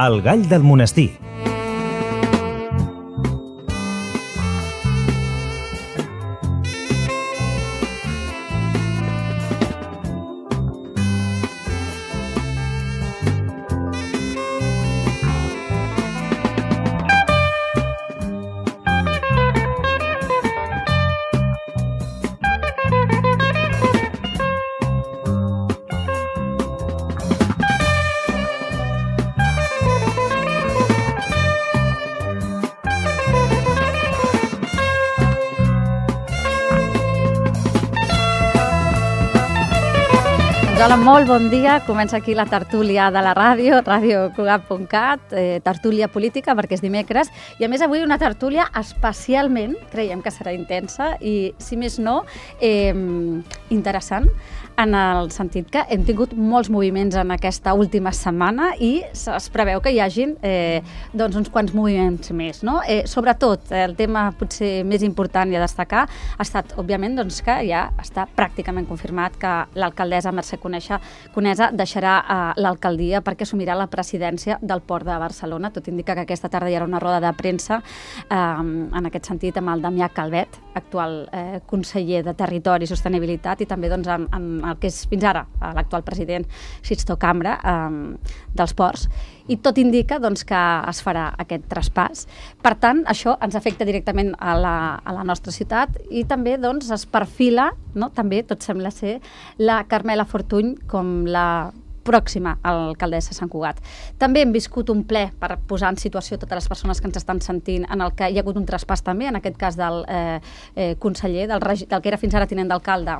El gall del monestir. Hola, molt bon dia. Comença aquí la tertúlia de la ràdio, radiocugat.cat, tertúlia política, perquè és dimecres. I a més avui una tertúlia especialment, creiem que serà intensa i, si més no, interessant, en el sentit que hem tingut molts moviments en aquesta última setmana i es preveu que hi hagin uns quants moviments més. No? Sobretot, el tema potser més important i a destacar ha estat, òbviament, que ja està pràcticament confirmat que l'alcaldessa Mercè Conesa deixarà l'alcaldia perquè assumirà la presidència del Port de Barcelona. Tot indica que aquesta tarda hi haurà una roda de premsa en aquest sentit amb el Damià Calvet, actual conseller de Territori i Sostenibilitat, i també en el que és fins ara l'actual president Sixto Cambra dels ports. I tot indica que es farà aquest traspàs. Per tant, això ens afecta directament a la nostra ciutat i també es perfila, també tot sembla ser, la Carmela Fortuny com la pròxima alcaldessa de Sant Cugat. També hem viscut un ple per posar en situació totes les persones que ens estan sentint, en el que hi ha hagut un traspàs també, en aquest cas del conseller, del que era fins ara tinent d'alcalde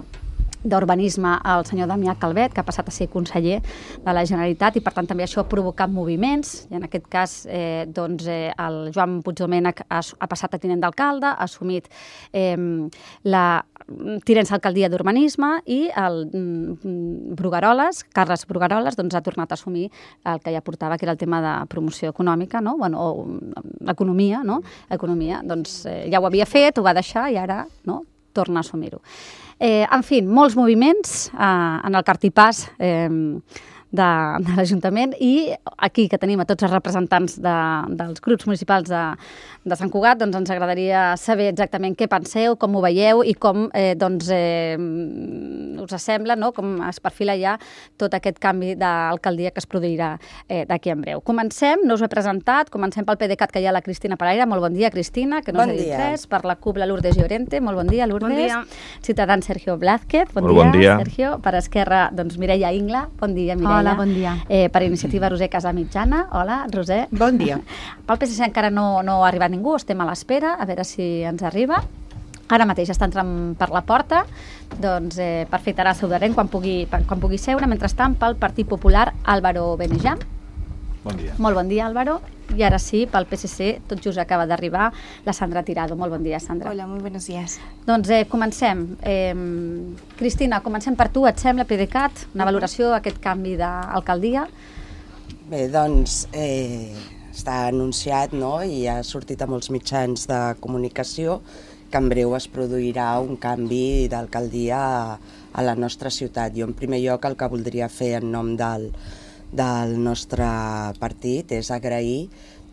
d'Urbanisme, el senyor Damià Calvet, que ha passat a ser conseller de la Generalitat, i per tant també això ha provocat moviments, i en aquest cas el Joan Puigdomènech ha passat a tinent d'alcalde, ha assumit la tinença d'alcaldia d'Urbanisme, i el Brugaroles, Carles Brugaroles, ha tornat a assumir el que ja portava, que era el tema de promoció econòmica, o economia, ja ho havia fet, ho va deixar i ara torna a assumir-ho. En fi, molts moviments en el cartipàs de l'Ajuntament, i aquí que tenim a tots els representants dels grups municipals de Sant Cugat, ens agradaria saber exactament què penseu, com ho veieu i com us sembla, com es perfila ja tot aquest canvi d'alcaldia que es produirà d'aquí en breu. Comencem, no us ho he presentat, comencem pel PDeCAT, que hi ha la Cristina Paraire. Molt bon dia, Cristina, que no us he dit res. Per la CUP, la Lourdes Llorente. Molt bon dia, Lourdes. Bon dia. Ciutadans, Sergio Blázquez. Bon dia, Sergio. Per Esquerra, Mireia Ingla. Bon dia, Mireia. Hola, bon dia. Per Iniciativa, Roser Casamitjana. Hola, Roser. Bon dia. Pel PSC encara no ha arribat ningú, estem a l'espera, a veure si ens arriba. Ara mateix està entrant per la porta, per fer Tarà Saudarent quan pugui seure. Mentrestant, pel Partit Popular, Álvaro Benejam. Bon dia. Molt bon dia, Álvaro. I ara sí, pel PSC, tot just acaba d'arribar la Sandra Tirado. Molt bon dia, Sandra. Hola, muy buenos días. Comencem. Cristina, comencem per tu, et sembla, PDeCAT, una valoració d'aquest canvi d'alcaldia? Bé, està anunciat, i ha sortit a molts mitjans de comunicació que en breu es produirà un canvi d'alcaldia a la nostra ciutat. Jo, en primer lloc, el que voldria fer en nom del nostre partit és agrair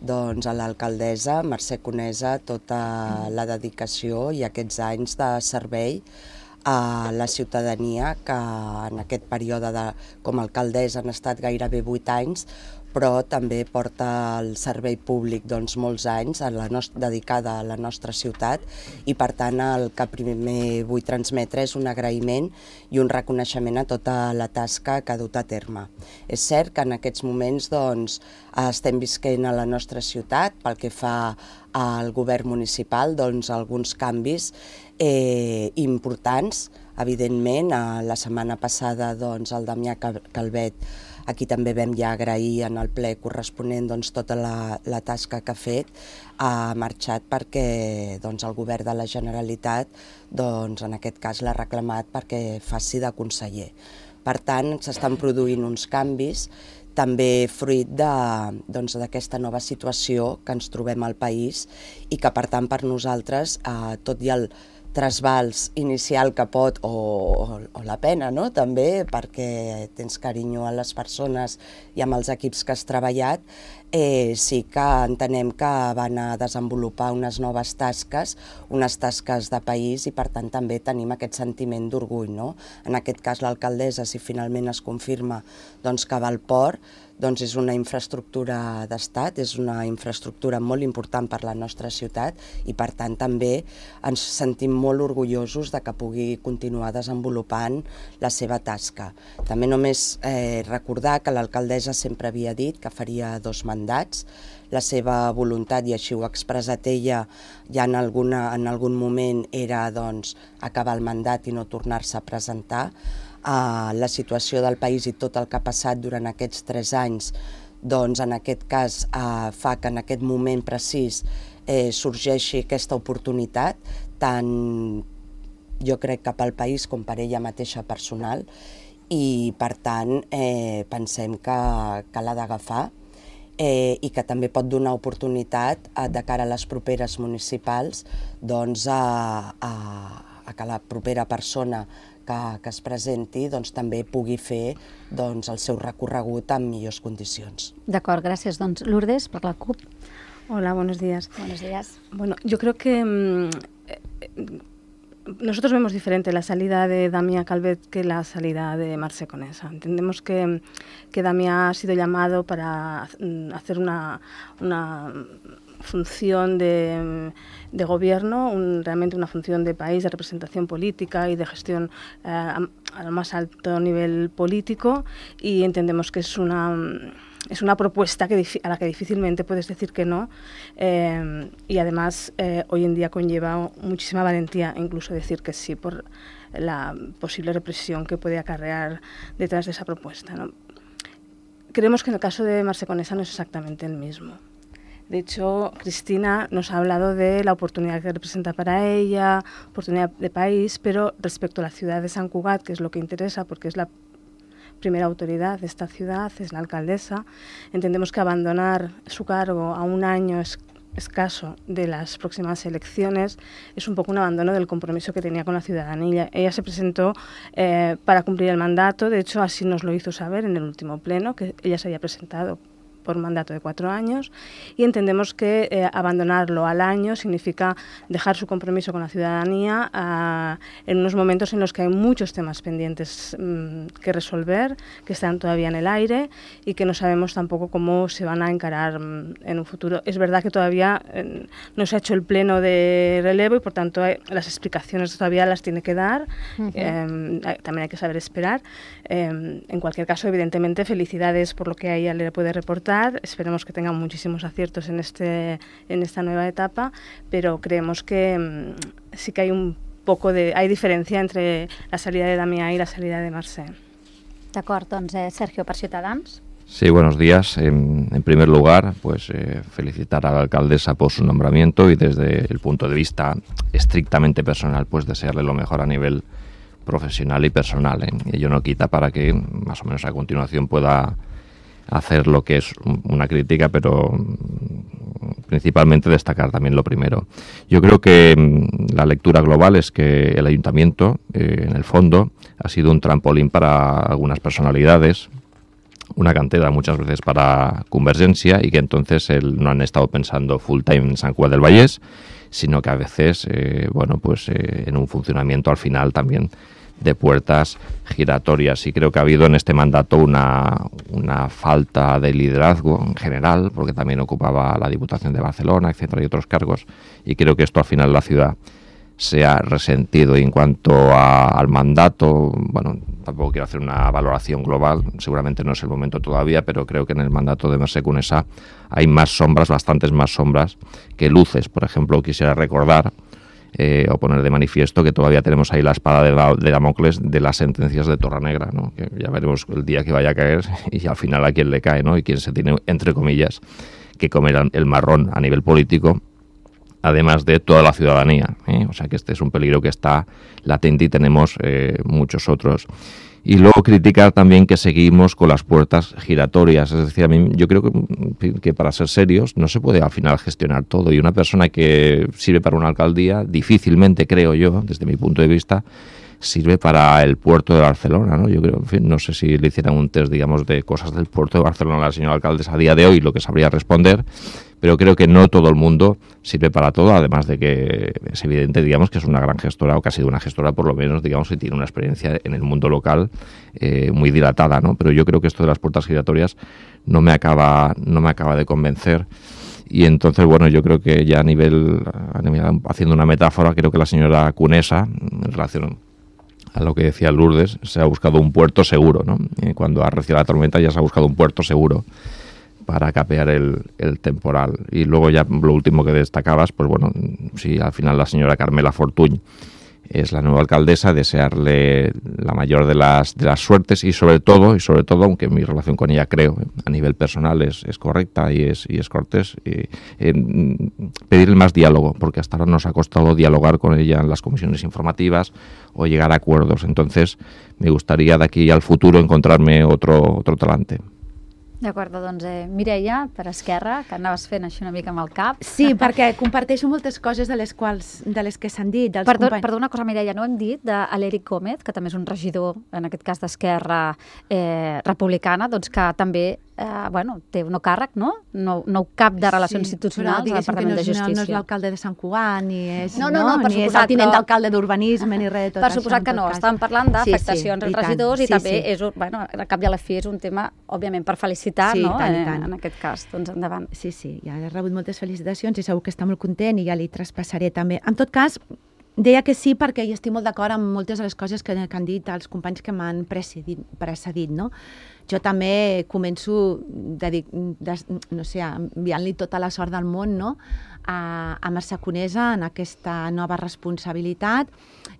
a l'alcaldessa Mercè Conesa tota la dedicació i aquests anys de servei a la ciutadania, que en aquest període com a alcaldessa han estat gairebé 8 anys, però també porta el servei públic molts anys dedicada a la nostra ciutat, i per tant el que primer vull transmetre és un agraïment i un reconeixement a tota la tasca que ha dut a terme. És cert que en aquests moments estem visquent a la nostra ciutat, pel que fa al govern municipal, alguns canvis importants. Evidentment, la setmana passada el Damià Calvet, aquí també vam ja agrair en el ple corresponent tota la tasca que ha fet, ha marxat perquè el govern de la Generalitat, en aquest cas, l'ha reclamat perquè faci de conseller. Per tant, s'estan produint uns canvis, també fruit d'aquesta nova situació que ens trobem al país, i que, per tant, per nosaltres, tot i el trasbals inicial que pot, o la pena, no? També, perquè tens carinyo a les persones i amb els equips que has treballat, sí que entenem que van a desenvolupar unes noves tasques, unes tasques de país, i per tant també tenim aquest sentiment d'orgull, no? En aquest cas l'alcaldessa, si finalment es confirma que va al port, doncs és una infraestructura d'estat, és una infraestructura molt important per la nostra ciutat i per tant també ens sentim molt orgullosos de que pugui continuar desenvolupant la seva tasca. També només recordar que l'alcaldessa sempre havia dit que faria 2 mandats. La seva voluntat, i així ho ha expressat ella, ja en algun moment era acabar el mandat i no tornar-se a presentar. La situació del país i tot el que ha passat durant aquests 3 anys, en aquest cas fa que en aquest moment precís sorgeixi aquesta oportunitat, tant jo crec que pel país com per ella mateixa personal, i per tant pensem que l'ha d'agafar i que també pot donar oportunitat de cara a les properes municipals a que la propera persona que es presenti també pugui fer el seu recorregut en millors condicions. D'acord, gràcies. Lourdes, per la CUP. Hola, buenos días. Buenos días. Bueno, yo creo que nosotros vemos diferente la salida de Damià Calvet que la salida de Mercè Conesa. Entendemos que Damià ha sido llamado para hacer una función de gobierno, realmente una función de país, de representación política y de gestión al más alto nivel político, y entendemos que es una propuesta a la que difícilmente puedes decir que no, y además hoy en día conlleva muchísima valentía incluso decir que sí por la posible represión que puede acarrear detrás de esa propuesta, ¿no? Creemos que en el caso de Mercè Conesa no es exactamente el mismo. De hecho, Cristina nos ha hablado de la oportunidad que representa para ella, oportunidad de país, pero respecto a la ciudad de Sant Cugat, que es lo que interesa porque es la primera autoridad de esta ciudad, es la alcaldesa, entendemos que abandonar su cargo a un año escaso de las próximas elecciones es un poco un abandono del compromiso que tenía con la ciudadanía. Ella se presentó para cumplir el mandato, de hecho así nos lo hizo saber en el último pleno, que ella se había presentado por un mandato de 4 años, y entendemos que abandonarlo al año significa dejar su compromiso con la ciudadanía en unos momentos en los que hay muchos temas pendientes que resolver, que están todavía en el aire y que no sabemos tampoco cómo se van a encarar en un futuro. Es verdad que todavía no se ha hecho el pleno de relevo y por tanto las explicaciones todavía las tiene que dar. También hay que saber esperar. En cualquier caso, evidentemente, felicidades por lo que a ella le puede reportar. Esperemos que tengan muchísimos aciertos en esta nueva etapa, pero creemos que sí que hay hay diferencia entre la salida de Damià y la salida de Mercè. D'acord, Sergio, per Ciutadans. Sí, buenos días. En primer lugar, pues felicitar a la alcaldesa por su nombramiento y desde el punto de vista estrictamente personal, pues desearle lo mejor a nivel profesional y personal. Ello no quita para que más o menos a continuación pueda hacer lo que es una crítica, pero principalmente destacar también lo primero. Yo creo que la lectura global es que el ayuntamiento, en el fondo, ha sido un trampolín para algunas personalidades, una cantera muchas veces para Convergència, y que entonces no han estado pensando full time en Sant Cugat del Vallès, sino que a veces, en un funcionamiento al final también de puertas giratorias. Y creo que ha habido en este mandato una falta de liderazgo en general, porque también ocupaba la Diputación de Barcelona, etcétera, y otros cargos, y creo que esto al final la ciudad se ha resentido. Y en cuanto al mandato, tampoco quiero hacer una valoración global, seguramente no es el momento todavía, pero creo que en el mandato de Mercè Conesa hay más sombras, bastantes más sombras que luces. Por ejemplo, quisiera recordar o poner de manifiesto que todavía tenemos ahí la espada de Damocles de las sentencias de Torrenegra, ¿no? Que ya veremos el día que vaya a caer y al final a quién le cae, ¿no? Y quién se tiene, entre comillas, que comer el marrón a nivel político, además de toda la ciudadanía, ¿eh? O sea que este es un peligro que está latente y tenemos muchos otros. Y luego criticar también que seguimos con las puertas giratorias. Es decir, a mí yo creo que para ser serios no se puede al final gestionar todo. Y una persona que sirve para una alcaldía, difícilmente, creo yo, desde mi punto de vista, sirve para el puerto de Barcelona, ¿no? Yo creo, en fin, no sé si le hicieran un test, digamos, de cosas del puerto de Barcelona a la señora alcaldesa a día de hoy, lo que sabría responder, pero creo que no todo el mundo sirve para todo, además de que es evidente, digamos, que es una gran gestora, o que ha sido una gestora, por lo menos, digamos, que tiene una experiencia en el mundo local muy dilatada, ¿no? Pero yo creo que esto de las puertas giratorias no me acaba de convencer. Y entonces, bueno, yo creo que ya a nivel haciendo una metáfora, creo que la señora Conesa, en relación a lo que decía Lourdes, se ha buscado un puerto seguro, ¿no? Cuando ha arreciado la tormenta ya se ha buscado un puerto seguro para capear el temporal. Y luego ya lo último que destacabas, pues bueno, si al final la señora Carmela Fortuny es la nueva alcaldesa, desearle la mayor de las suertes y sobre todo, aunque mi relación con ella creo a nivel personal es correcta y es cortés, pedirle más diálogo, porque hasta ahora nos ha costado dialogar con ella en las comisiones informativas o llegar a acuerdos. Entonces me gustaría de aquí al futuro encontrarme otro talante. D'acord, doncs Mireia, per Esquerra, que anaves fent així una mica amb el cap. Sí, perquè comparteixo moltes coses de les que s'han dit. Perdó una cosa, Mireia, no hem dit d'Aleric Gómez, que també és un regidor, en aquest cas d'Esquerra Republicana, doncs que també té un càrrec, no? Nou cap de Relacions Institucionals al Departament de Justícia. No és l'alcalde de Sant Cugat, ni és ni és el tinent d'alcalde d'Urbanisme, ni res de tot això. Per suposat que no, estàvem parlant d'afectacions als regidors i també és, al cap i a la fi és un tema, òbviament, per felicitar, no? En aquest cas, doncs endavant. Sí, ja he rebut moltes felicitacions i segur que està molt content i ja li traspassaré també. En tot cas, deia que sí perquè hi estic molt d'acord amb moltes de les coses que han dit els companys que m'han precedit, no? Jo també començo enviant-li tota la sort del món, no?, a Mercè Conesa en aquesta nova responsabilitat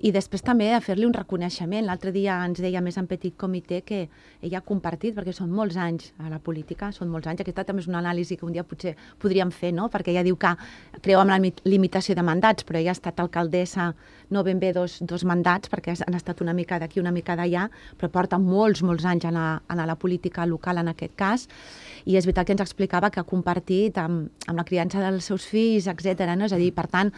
i després també a fer-li un reconeixement. L'altre dia ens deia més en petit comitè que ella ha compartit, perquè són molts anys a la política, són molts anys. Aquesta també és una anàlisi que un dia potser podríem fer, no?, perquè ella diu que creu en la limitació de mandats, però ella ha estat alcaldessa no ben bé dos mandats, perquè han estat una mica d'aquí, una mica d'allà, però porta molts anys a la política local en aquest cas, i és veritat que ens explicava que ha compartit amb la criança dels seus fills, etc. No? És a dir, per tant,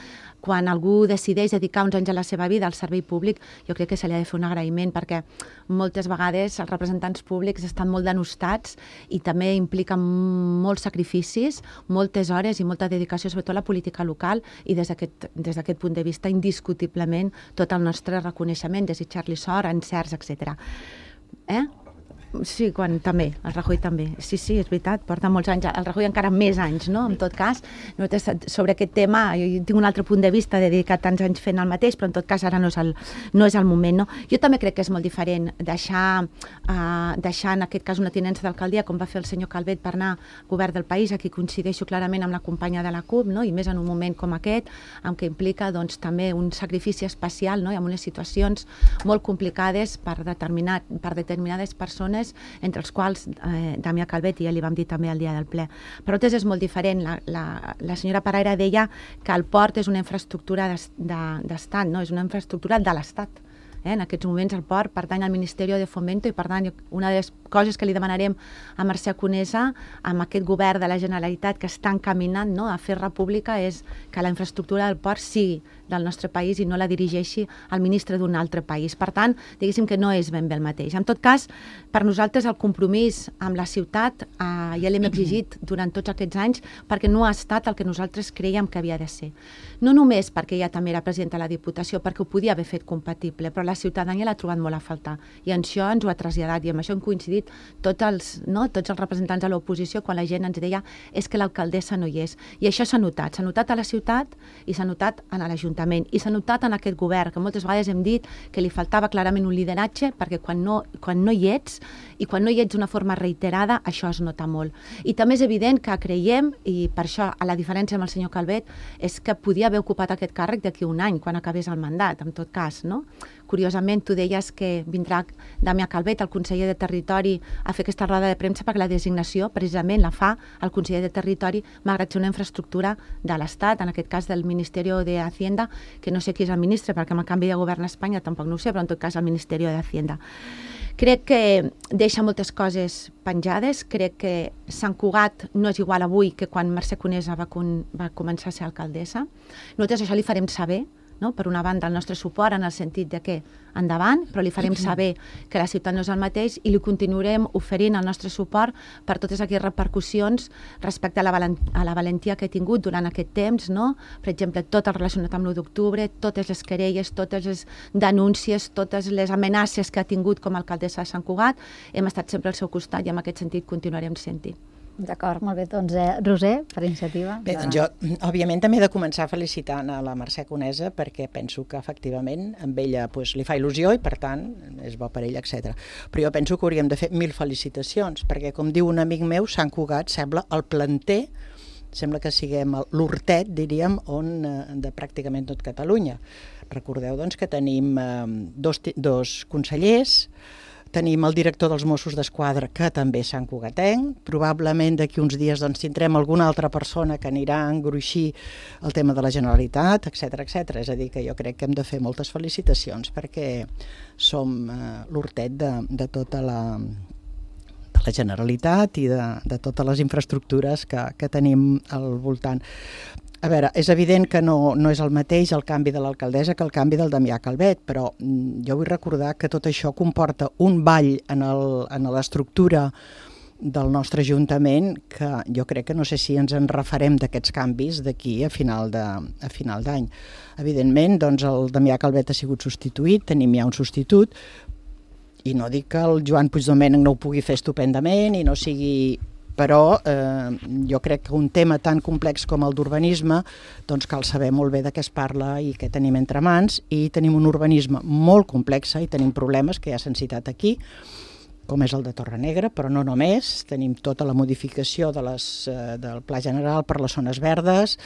quan algú decideix dedicar uns anys a la seva vida al servei públic, jo crec que se li ha de fer un agraïment, perquè moltes vegades els representants públics estan molt denostats i també impliquen molts sacrificis, moltes hores i molta dedicació, sobretot a la política local, i des d'aquest punt de vista, indiscutiblement, tot el nostre reconeixement, desitjar-li sort, encerts, etc. Sí, també, el Rajoy també. Sí, és veritat, porta molts anys. El Rajoy encara més anys, no?, en tot cas. Sobre aquest tema, jo tinc un altre punt de vista, de dedicar tants anys fent el mateix, però en tot cas ara no és el moment, no? Jo també crec que és molt diferent deixar en aquest cas una tinença d'alcaldia, com va fer el senyor Calvet per anar al govern del país, aquí coincideixo clarament amb la companya de la CUP, no?, i més en un moment com aquest, en què implica doncs, també un sacrifici especial, no?, i en unes situacions molt complicades per determinades persones, entre els quals Damià Calvet, i ja li vam dir també el dia del ple. Per altres és molt diferent. La senyora Paraire deia que el port és una infraestructura d'estat, no? És una infraestructura de l'Estat. En aquests moments el port pertany al Ministeri de Fomento i, per tant, una de les coses que li demanarem a Mercè Conesa, amb aquest govern de la Generalitat que està encaminant, no?, a fer república, és que la infraestructura del port sigui del nostre país i no la dirigeixi el ministre d'un altre país. Per tant, diguéssim que no és ben bé el mateix. En tot cas, per nosaltres el compromís amb la ciutat ja l'hem exigit durant tots aquests anys perquè no ha estat el que nosaltres creiem que havia de ser. No només perquè ella també era presidenta de la Diputació, perquè ho podia haver fet compatible, però la ciutadania l'ha trobat molt a faltar. I això ens ho ha traslladat i amb això hem coincidit tots els representants de l'oposició quan la gent ens deia és que l'alcaldessa no hi és. I això s'ha notat a la ciutat i s'ha notat a l'Ajuntament i s'ha notat en aquest govern, que moltes vegades hem dit que li faltava clarament un lideratge, perquè quan no hi ets i quan no hi ets d'una forma reiterada, això es nota molt. I també és evident que creiem, i per això a la diferència amb el senyor Calvet, és que podia haver ocupat aquest càrrec d'aquí un any, quan acabés el mandat, en tot cas, no? Curiosament, tu deies que vindrà Damià Calvet, el conseller de Territori, a fer aquesta roda de premsa perquè la designació precisament la fa el conseller de Territori, malgrat ser una infraestructura de l'Estat, en aquest cas del Ministeri de Hacienda, que no sé qui és el ministre, perquè amb el canvi de govern a Espanya tampoc no ho sé, però en tot cas el Ministeri de Hacienda. Crec que deixa moltes coses penjades. Crec que Sant Cugat no és igual avui que quan Mercè Conesa va començar a ser alcaldessa. Nosaltres això li farem saber, no? Per una banda, el nostre suport en el sentit de que endavant, però li farem saber que la ciutat no és el mateix i li continuarem oferint el nostre suport per totes aquelles repercussions respecte a la valentia que ha tingut durant aquest temps, no? Per exemple, tot el relacionat amb l'1 d'octubre, totes les querelles, totes les denúncies, totes les amenaces que ha tingut com a alcaldessa de Sant Cugat, hem estat sempre al seu costat i en aquest sentit continuarem sent-hi. D'acord, molt bé. Doncs, Roser, per iniciativa. Bé, doncs jo, òbviament, també he de començar felicitant a la Mercè Conesa perquè penso que, efectivament, amb ella doncs, li fa il·lusió i, per tant, és bo per ella, etc. Però jo penso que hauríem de fer 1000 felicitacions perquè, com diu un amic meu, Sant Cugat sembla el planter, sembla que siguem l'hortet, diríem, de pràcticament tot Catalunya. Recordeu, doncs, que tenim dos consellers, tenim el director dels Mossos d'Esquadra, que també és santcugatenc. Probablement d'aquí uns dies doncs, tindrem alguna altra persona que anirà a engruixir el tema de la Generalitat, etc etc. És a dir, que jo crec que hem de fer moltes felicitacions perquè som l'hortet de tota la Generalitat i de totes les infraestructures que tenim al voltant. A veure, és evident que no és el mateix el canvi de l'alcaldessa que el canvi del Damià Calvet, però jo vull recordar que tot això comporta un ball en l'estructura del nostre Ajuntament que jo crec que no sé si ens en refarem d'aquests canvis d'aquí a final d'any. Evidentment, doncs el Damià Calvet ha sigut substituït, tenim ja un substitut, i no dic que el Joan Puigdomènech no ho pugui fer estupendament i no sigui... Però jo crec que un tema tan complex com el d'urbanisme doncs cal saber molt bé de què es parla i què tenim entre mans, i tenim un urbanisme molt complex i tenim problemes que ja s'han citat aquí, com és el de Torrenegra, però no només. Tenim tota la modificació del Pla General per les zones verdes,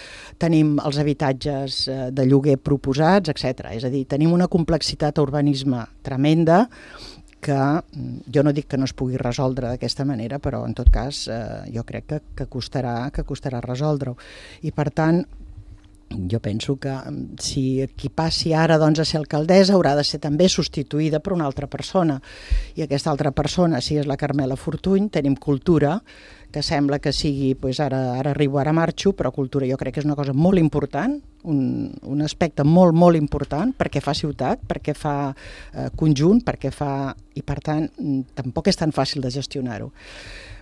tenim els habitatges de lloguer proposats, etc. És a dir, tenim una complexitat a urbanisme tremenda que jo no dic que no es pugui resoldre d'aquesta manera, però en tot cas jo crec que costarà resoldre-ho. I per tant, jo penso que si qui passi ara doncs, a ser alcaldessa haurà de ser també substituïda per una altra persona, i aquesta altra persona, si és la Carmela Fortuny, tenim cultura, que sembla que sigui, doncs ara arribo, ara marxo, però cultura jo crec que és una cosa molt important, un aspecte molt, molt important, perquè fa ciutat, perquè fa conjunt, perquè fa... i per tant tampoc és tan fàcil de gestionar-ho.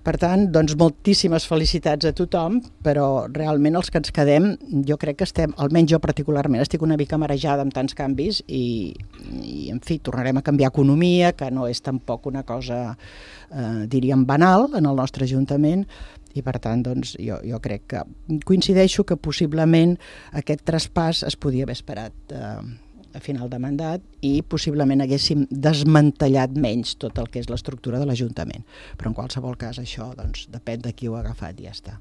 Per tant, doncs moltíssimes felicitats a tothom, però realment els que ens quedem, jo crec que estem, almenys jo particularment, estic una mica marejada amb tants canvis i en fi, tornarem a canviar economia, que no és tampoc una cosa, diríem, banal en el nostre Ajuntament, i per tant, doncs, jo crec que coincideixo que possiblement aquest traspàs es podia haver esperat a final de mandat i possiblement haguéssim desmantellat menys tot el que és l'estructura de l'Ajuntament. Però en qualsevol cas això doncs, depèn de qui ho ha agafat i ja està.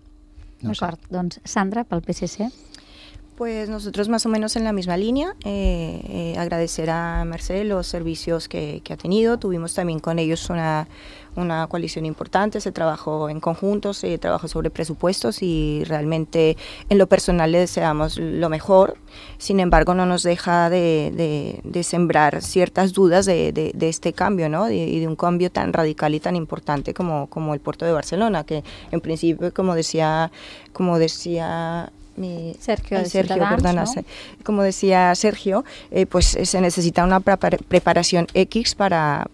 D'acord, doncs Sandra, pel PSC. Pues nosotros más o menos en la misma línea, agradecer a Mercè los servicios que ha tenido. Tuvimos también con ellos una coalición importante, se trabajó en conjunto, se trabajó sobre presupuestos y realmente en lo personal le deseamos lo mejor. Sin embargo, no nos deja de sembrar ciertas dudas de este cambio, ¿no? Y de un cambio tan radical y tan importante como el puerto de Barcelona, que en principio, como decía Sergio, perdona, ¿no? Como decía Sergio, pues se necesita una preparación X para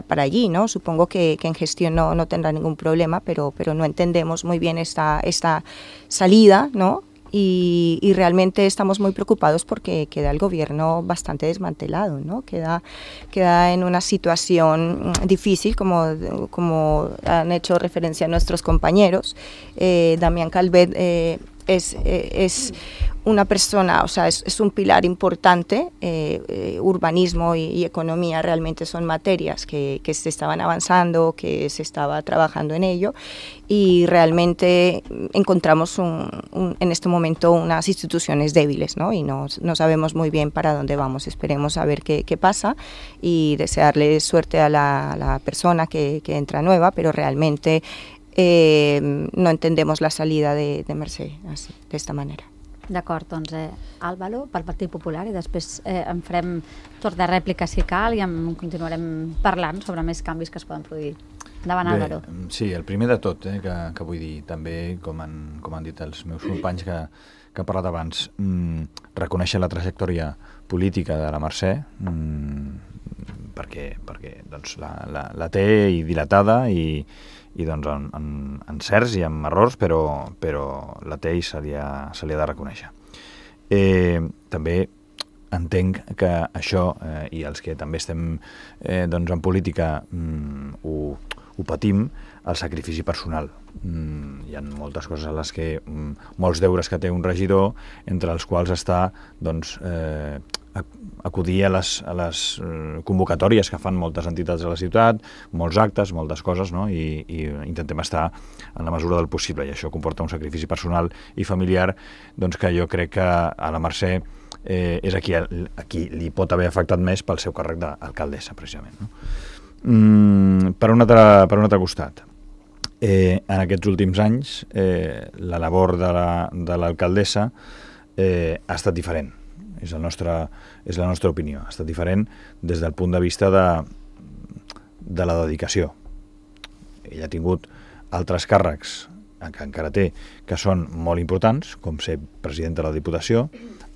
allí, ¿no? Supongo que en gestión no tendrá ningún problema, pero no entendemos muy bien esta salida, ¿no? Y realmente estamos muy preocupados porque queda el gobierno bastante desmantelado, ¿no? Queda en una situación difícil, como han hecho referencia nuestros compañeros. Damián Calvet es una persona, o sea, es un pilar importante. Urbanismo y economía realmente son materias que se estaban avanzando, que se estaba trabajando en ello, y realmente encontramos en este momento unas instituciones débiles, ¿no? Y no sabemos muy bien para dónde vamos. Esperemos a ver qué pasa y desearle suerte a la persona que entra nueva, pero realmente no entendemos la salida de Mercè así, de esta manera. D'acord, doncs Álvaro, pel Partit Popular, i després en farem torn de rèplica si cal i continuarem parlant sobre més canvis que es poden produir. Endavant, Álvaro. Sí, el primer de tot, que vull dir també, com han dit els meus companys que han parlat abans, reconèixer la trajectòria política de la Mercè, perquè doncs, la té i dilatada i doncs en encerts i en errors, però la té i se li ha de reconèixer. També entenc que això, i els que també estem doncs en política ho patim, el sacrifici personal. Hi ha moltes coses a les que, molts deures que té un regidor, entre els quals està doncs, acudir a les convocatòries que fan moltes entitats de la ciutat, molts actes, moltes coses, no? I intentem estar en la mesura del possible, i això comporta un sacrifici personal i familiar doncs, que jo crec que a la Mercè és a qui li pot haver afectat més pel seu càrrec d'alcaldessa, precisament, no? Per un altre costat, en aquests últims anys la labor de l'alcaldessa ha estat diferent, és la nostra opinió, ha estat diferent des del punt de vista de la dedicació. Ella ha tingut altres càrrecs que encara té, que són molt importants, com ser presidenta de la Diputació.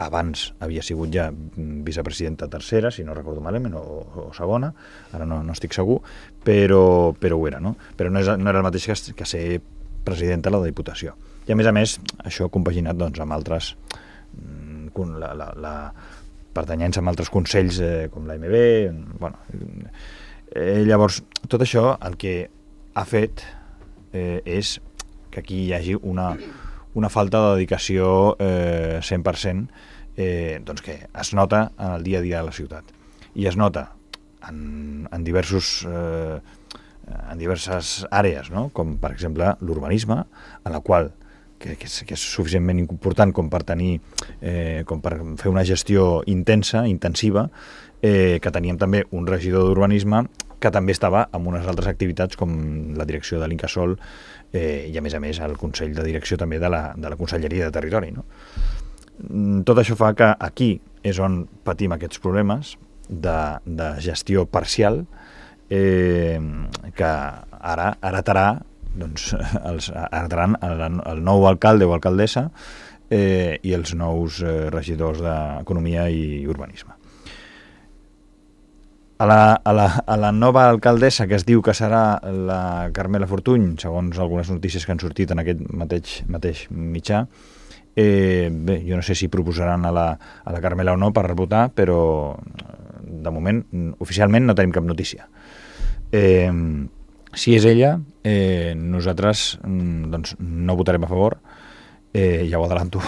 Abans havia sigut ja vicepresidenta tercera, si no recordo malament, o segona, ara no estic segur, però ho era, no? Però no era el mateix que ser presidenta de la Diputació. I a més, això compaginat doncs, amb altres pertanyents amb altres consells com l'AMB. Bueno, llavors, tot això el que ha fet és que aquí hi hagi una falta de dedicació 100%, doncs que es nota en el dia a dia de la ciutat. I es nota en diverses àrees, no? Com per exemple l'urbanisme, en la qual que és suficientment important com per fer una gestió intensiva, que teníem també un regidor d'urbanisme que també estava amb unes altres activitats com la direcció de l'Incasòl i a més el Consell de Direcció també de la Conselleria de Territori, no? Tot això fa que aquí és on patim aquests problemes de gestió parcial que ara heretaran el nou alcalde o alcaldessa i els nous regidors d'Economia i Urbanisme. A la nova alcaldessa, que es diu que serà la Carmela Fortuny, segons algunes notícies que han sortit en aquest mateix mitjà, bé, jo no sé si proposaran a la Carmela o no per votar, però de moment, oficialment, no tenim cap notícia. Si és ella, nosaltres doncs, no votarem a favor, ja ho adelanto,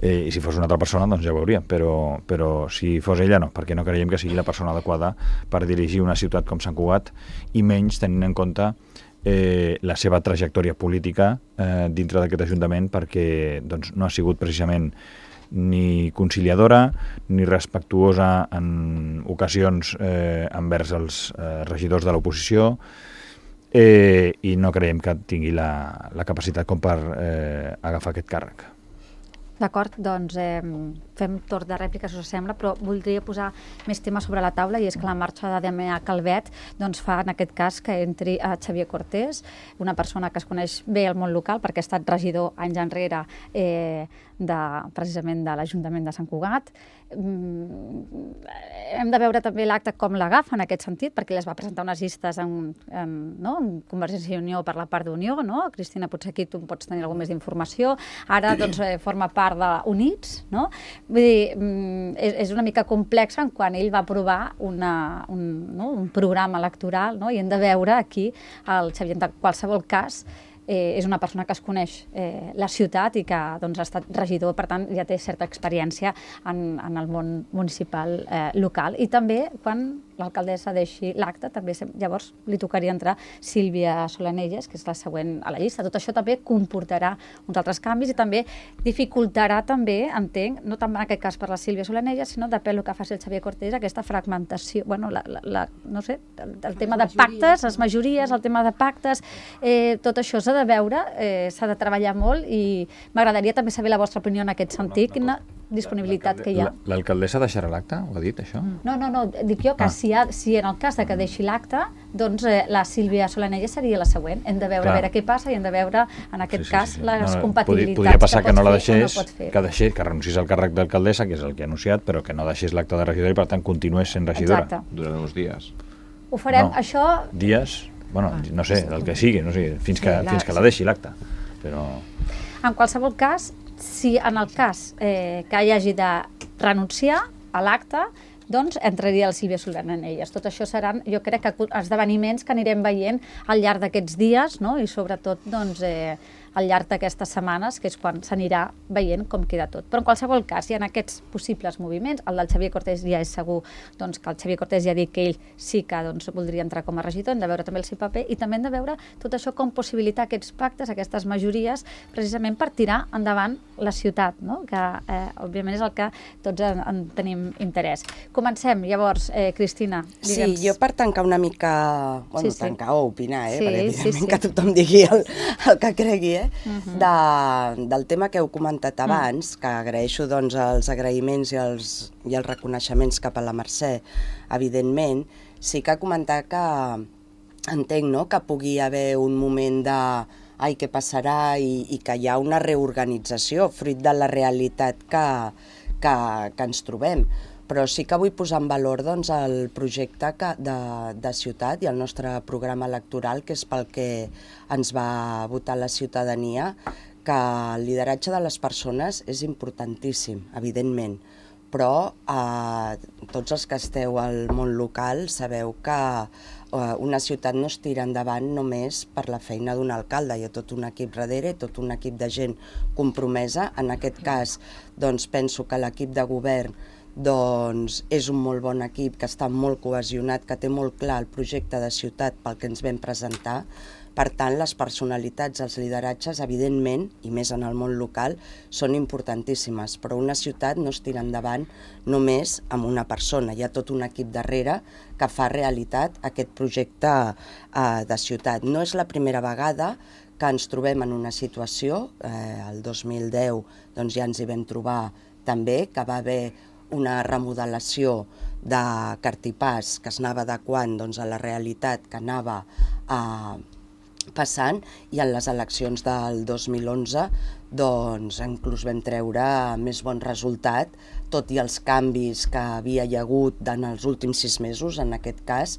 i si fos una altra persona doncs ja ho veuríem, però si fos ella no, perquè no creiem que sigui la persona adequada per dirigir una ciutat com Sant Cugat, i menys tenint en compte la seva trajectòria política dintre d'aquest Ajuntament, perquè doncs, no ha sigut precisament ni conciliadora ni respectuosa en ocasions envers els regidors de l'oposició, i no creiem que tingui la capacitat com per agafar aquest càrrec. D'acord, doncs fem torn de rèplica, si us sembla, però voldria posar més temes sobre la taula, i és que la marxa de Damià Calvet doncs, fa en aquest cas que entri a Xavier Cortés, una persona que es coneix bé al món local perquè ha estat regidor anys enrere precisament de l'Ajuntament de Sant Cugat. Hem de veure també l'acte com l'agafa en aquest sentit, perquè ell es va presentar unes llistes en Convergència i Unió per la part d'Unió, no? Cristina, potser aquí tu pots tenir alguna més d'informació. Ara doncs, forma part d'Units, no? Vull dir, és una mica complexa quan ell va aprovar un programa electoral, no? I hem de veure aquí el Xavier, en qualsevol cas, és una persona que es coneix la ciutat i que doncs, ha estat regidor, per tant ja té certa experiència en el món municipal local. I també quan l'alcaldessa deixi l'acte, també llavors li tocaria entrar Sílvia Solanelles, que és la següent a la llista. Tot això també comportarà uns altres canvis i també dificultarà també, entenc, no tant en aquest cas per la Sílvia Solanelles, sinó depèn del que faci el Xavier Cortés, aquesta fragmentació, bueno, no sé, el tema de pactes, les majories, el tema de pactes, tot això s'ha de veure, s'ha de treballar molt i m'agradaria també saber la vostra opinió en aquest sentit, quina disponibilitat que hi ha. L'alcaldessa deixarà l'acte? Ho ha dit, això? No, dic jo que si en el cas de que deixi l'acte, doncs la Sílvia Solanelles seria la següent. Hem de veure a veure què passa i hem de veure, en aquest cas, les compatibilitats podria passar que no la deixés, que renunciés al càrrec d'alcaldessa, que és el que ha anunciat, però que no deixés l'acte de regidora i, per tant, continués sent regidora. Exacte. Durant uns dies. Ho farem, això... Dies, bueno, no sé, el que sigui, no sé, fins que la deixi l'acte. Però... En qualsevol cas, si en el cas que hi hagi de renunciar a l'acte, doncs entraria la Sílvia Solanelles. Tot això seran, jo crec, que esdeveniments que anirem veient al llarg d'aquests dies, no? I sobretot doncs, al llarg d'aquestes setmanes, que és quan s'anirà veient com queda tot. Però en qualsevol cas, hi ha aquests possibles moviments. El del Xavier Cortés ja és segur doncs, que el Xavier Cortés ja ha dit que ell sí que doncs, voldria entrar com a regidor, hem de veure també el seu paper i també hem de veure tot això com possibilitar aquests pactes, aquestes majories, precisament per tirar endavant la ciutat, no? Que òbviament és el que tots en tenim interès. Comencem, llavors, Cristina. Digue'ns. Sí, jo per tancar una mica, bueno, tancar o opinar, perquè evidentment que tothom digui el que cregui, del tema que heu comentat abans, que agraeixo doncs, els agraïments i els reconeixements cap a la Mercè, evidentment, sí que comentar que entenc, no?, que pugui haver un moment de ai, què passarà, i que hi ha una reorganització fruit de la realitat que ens trobem. Però sí que vull posar en valor doncs, el projecte de ciutat i el nostre programa electoral, que és pel que ens va votar la ciutadania, que el lideratge de les persones és importantíssim, evidentment, però tots els que esteu al món local sabeu que una ciutat no es tira endavant només per la feina d'un alcalde, hi ha tot un equip darrere, tot un equip de gent compromesa. En aquest cas, doncs, penso que l'equip de govern doncs és un molt bon equip, que està molt cohesionat, que té molt clar el projecte de ciutat pel que ens vam presentar. Per tant, les personalitats, els lideratges, evidentment, i més en el món local, són importantíssimes, però una ciutat no es tira endavant només amb una persona. Hi ha tot un equip darrere que fa realitat aquest projecte de ciutat. No és la primera vegada que ens trobem en una situació, el 2010 doncs ja ens hi vam trobar també, que va haver una remodelació de Cartipàs que es anava adequant doncs, a la realitat que anava passant, i en les eleccions del 2011 doncs, inclús vam treure més bon resultat, tot i els canvis que havia hi hagut en els últims 6 mesos, en aquest cas,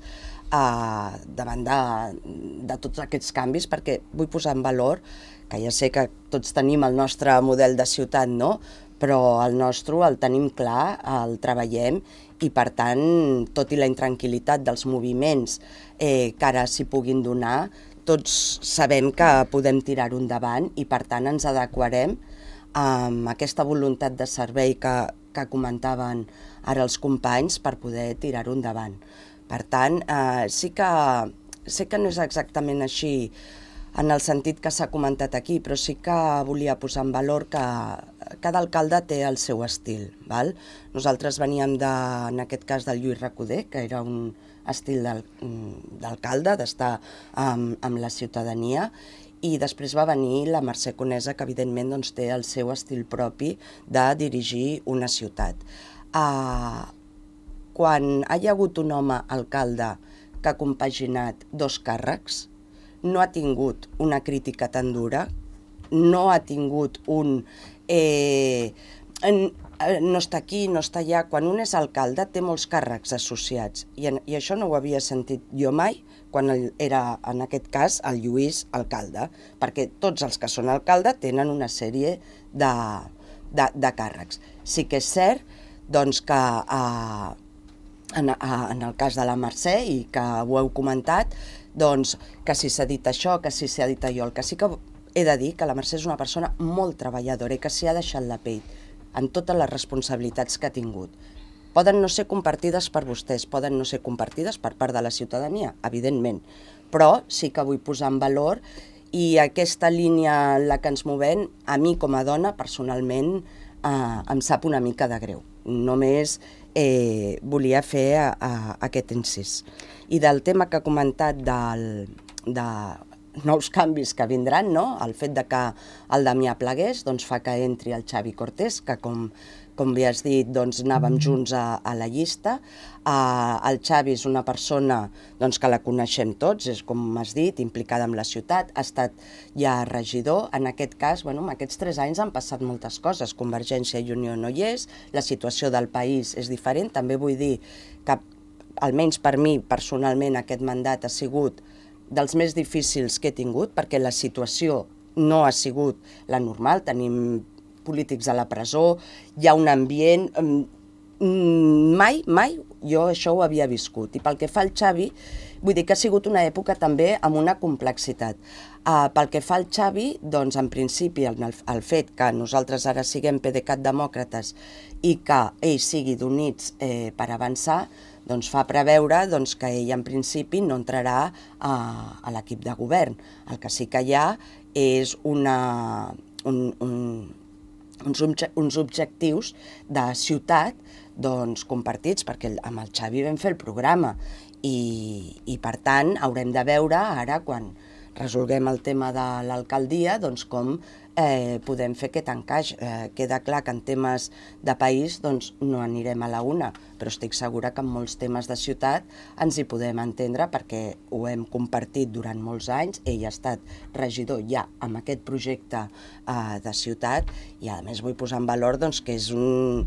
davant de tots aquests canvis, perquè vull posar en valor que ja sé que tots tenim el nostre model de ciutat, no?, però el nostre el tenim clar, el treballem, i per tant, tot i la intranquil·litat dels moviments que ara s'hi puguin donar, tots sabem que podem tirar-ho endavant i per tant ens adequarem amb aquesta voluntat de servei que comentaven ara els companys per poder tirar-ho endavant. Per tant, sé que no és exactament així en el sentit que s'ha comentat aquí, però sí que volia posar en valor que cada alcalde té el seu estil. Val? Nosaltres veníem, en aquest cas, del Lluís Recoder, que era un estil d'alcalde, d'estar amb la ciutadania, i després va venir la Mercè Conesa, que evidentment doncs, té el seu estil propi de dirigir una ciutat. Quan hi ha hagut un home alcalde que ha compaginat 2 càrrecs, no ha tingut una crítica tan dura, no ha tingut un no està aquí, no està allà. Quan un és alcalde té molts càrrecs associats, i això no ho havia sentit jo mai quan era, en aquest cas, el Lluís alcalde, perquè tots els que són alcalde tenen una sèrie de càrrecs. Sí que és cert doncs, que en el cas de la Mercè, i que ho heu comentat, doncs, que si s'ha dit això, que si s'ha dit allò. El que sí que he de dir que la Mercè és una persona molt treballadora i que s'hi ha deixat la pell en totes les responsabilitats que ha tingut. Poden no ser compartides per vostès, poden no ser compartides per part de la ciutadania, evidentment, però sí que vull posar en valor i aquesta línia en la que ens movem, a mi com a dona, personalment, em sap una mica de greu. Només volia fer aquest incís. I del tema que ha comentat de nous canvis que vindran, no? El fet de que el Damià plegués doncs fa que entri el Xavi Cortés, que com bé has dit, doncs anàvem junts a la llista. El Xavi és una persona doncs, que la coneixem tots, és com has dit, implicada en la ciutat, ha estat ja regidor. En aquest cas, en aquests 3 anys han passat moltes coses. Convergència i Unió no hi és, la situació del país és diferent. També vull dir que, almenys per mi, personalment, aquest mandat ha sigut dels més difícils que he tingut, perquè la situació no ha sigut la normal. Tenim polítics a la presó, hi ha un ambient... Mai jo això ho havia viscut. I pel que fa al Xavi, vull dir que ha sigut una època també amb una complexitat. Pel que fa al Xavi, doncs en principi el fet que nosaltres ara siguem PDeCAT demòcrates i que ell sigui d'Units per avançar, doncs fa preveure que ell en principi no entrarà a l'equip de govern. El que sí que hi ha és uns objectius de ciutat compartits, perquè amb el Xavi vam fer el programa i per tant haurem de veure ara, quan resolguem el tema de l'alcaldia, com podem fer aquest encaix. Queda clar que en temes de país no anirem a la una, però estic segura que en molts temes de ciutat ens hi podem entendre, perquè ho hem compartit durant molts anys. Ell ha estat regidor ja amb aquest projecte de ciutat i a més vull posar en valor que és un...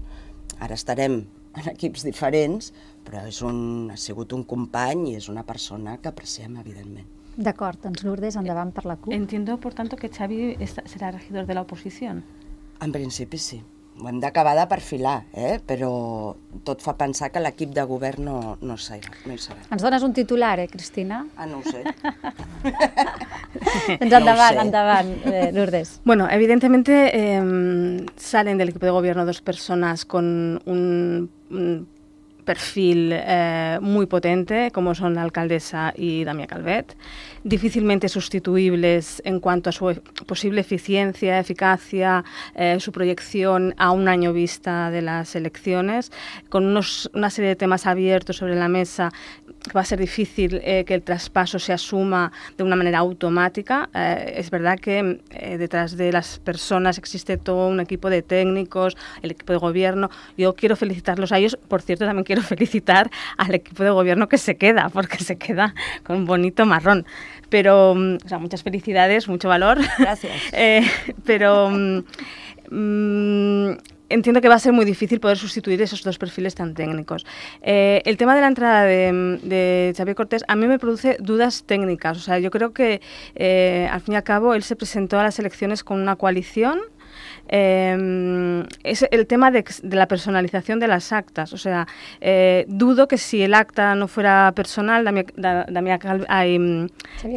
Ara estarem en equips diferents, però ha sigut un company i és una persona que apreciem, evidentment. D'acord, doncs Lourdes, endavant per la CUP. Entiendo, por tanto, que Xavi será regidor de la oposición. En principi sí. Ho hem d'acabar de perfilar, però tot fa pensar que l'equip de govern no hi serà. Ens dones un titular, Cristina? No ho sé. Doncs endavant, Lourdes. Bueno, evidentemente salen del equipo de gobierno 2 personas con un perfil muy potente, como son la alcaldesa y Damià Calvet, difícilmente sustituibles en cuanto a su posible eficiencia, eficacia, su proyección a un año vista de las elecciones, con una serie de temas abiertos sobre la mesa. Va a ser difícil que el traspaso se asuma de una manera automática. Es verdad que detrás de las personas existe todo un equipo de técnicos, el equipo de gobierno. Yo quiero felicitarlos a ellos. Por cierto, también quiero felicitar al equipo de gobierno que se queda, porque se queda con un bonito marrón. Pero, muchas felicidades, mucho valor. Gracias. Entiendo que va a ser muy difícil poder sustituir esos 2 perfiles tan técnicos. El tema de la entrada de Xavi Cortés a mí me produce dudas técnicas. O sea, yo creo que al fin y al cabo él se presentó a las elecciones con una coalición. Es el tema de la personalización de las actas. O sea, dudo que si el acta no fuera personal,